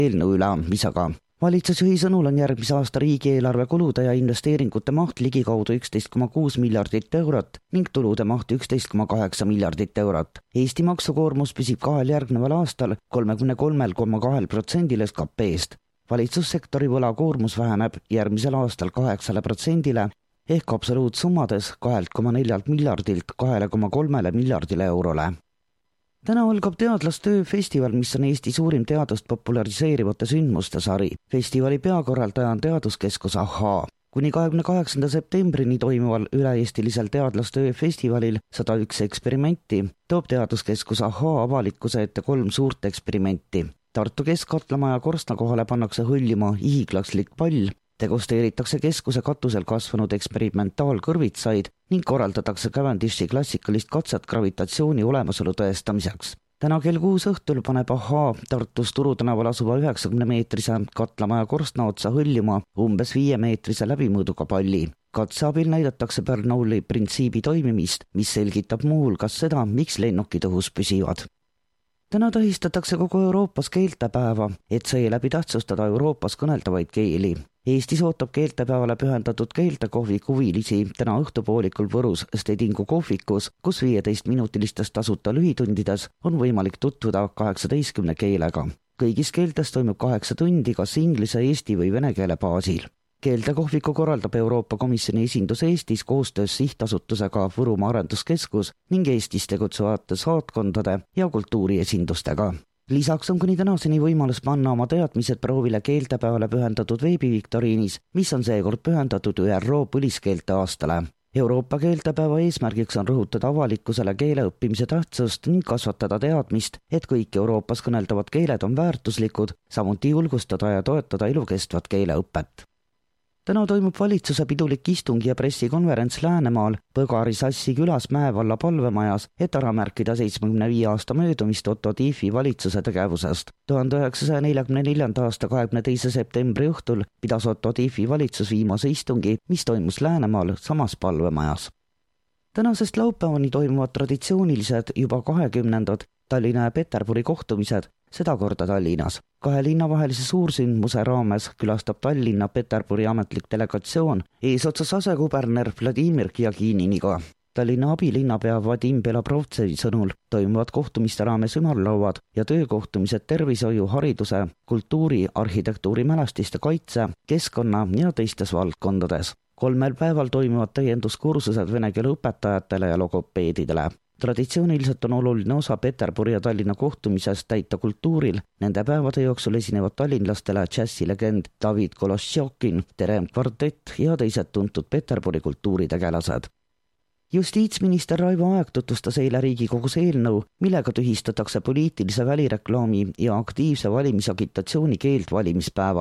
eelnõu üleandmisega. Valitsusjuhi sõnul on järgmise aasta riigieelarve kulude ja investeeringute maht ligikaudu 11,6 miljardit eurot ning tulude maht 11,8 miljardit eurot. Eesti maksukoormus püsib kahel järgneval aastal 33,2% SKP-st. Valitsussektori võlakoormus väheneb järgmisel aastal 8% ehk absoluutsummades 2,4 miljardilt 2,3 miljardile eurole. Täna algab teadlastöö festival, mis on Eesti suurim teadust populariseerivate sündmuste sari. Festivali peakorraldaja on teaduskeskus AHHA. Kuni 28. septembrini toimuval üle-eestilisel teadlastöö festivalil 101 eksperimenti toob teaduskeskus AHHA avalikkuse ette 3 suurt eksperimenti. Tartu Keskkatlamaja korstna kohale pannakse hõljuma hiiglaslik pall, degusteeritakse keskuse katusel kasvanud eksperimentaalkõrvitsaid ning korraldatakse Cavendishi klassikalist katset gravitatsiooni olemasolu tõestamiseks. Täna kell 6 õhtul paneb AHHA Tartus Turu tänaval asuva 90-meetrise katlamaja korstna otsa hõljuma umbes 5-meetrise läbimõõduga palli. Katse abil näidatakse Bernoulli printsiibi toimimist, mis selgitab muuhulgas seda, miks lennukid õhus püsivad. Täna tähistatakse kogu Euroopas keeltepäeva, et seeläbi tähtsustada Euroopas kõneldavaid keeli. Eestis ootab keeltepäevale pühendatud keeltekohviku huvilisi täna õhtupoolikul Võrus Stedingu kohvikus, kus 15-minutilistest tasuta lühitundides on võimalik tutvuda 18 keelega. Kõigis keeltes toimub 8 tundi kas inglise, eesti või vene keele baasil. Keeltekohviku korraldab Euroopa Komisjoni esindus Eestis koostöös sihtasutusega Võrumaa Arenduskeskus ning Eestis tegutsevate saatkondade ja kultuuriesindustega. Lisaks on kuni tänaseni võimalus panna oma teadmised proovile keeltepäevale pühendatud veebiviktoriinis, mis on seekord pühendatud ÜRO põliskeelte aastale. Euroopa keeltepäeva eesmärgiks on rõhutada avalikkusele keele õppimise tähtsust ning kasvatada teadmist, et kõik Euroopas kõneldavad keeled on väärtuslikud, samuti julgustada ja toetada elukestvat keeleõpet. Täna toimub valitsuse pidulik istung ja pressikonverents Läänemaal Põgari Sassi külas Mäevalla palvemajas, et ära märkida 75 aasta möödumist Otto Tiefi valitsuse tegevusest. 1944. aasta 22. septembri õhtul pidas Otto Tiefi valitsus viimase istungi, mis toimus Läänemaal samas palvemajas. Tänasest laupäevani toimuvad traditsioonilised juba 20. Tallinna ja Peterburi kohtumised, seda korda Tallinnas. 2 linna vahelise suursündmuse raames külastab Tallinna Peterburi ametlik delegatsioon eesotsas asekuberner Vladimir Kjagininiga. Tallinna abilinnapea Vadim Belobrovtsevi sõnul toimuvad kohtumiste raames ümarlauad ja töökohtumised tervishoiu, hariduse, kultuuri, arhitektuuri mälestiste kaitse, keskkonna ja teistes valdkondades. 3 päeval toimuvad täienduskursused vene keele õpetajatele ja logopeedidele. Traditsiooniliselt on oluline osa Peterburi ja Tallinna kohtumisest täita kultuuril. Nende päevade jooksul esinevad tallinlastele džässilegend David Kolossjokin, Terem kvartett ja teised tuntud Peterburi kultuuritegelased. Justiitsminister Raivo Aeg tutvustas eile Riigikogus eelnõu, millega tühistatakse poliitilise välireklaami ja aktiivse valimisagitatsiooni keeld valimispäeval.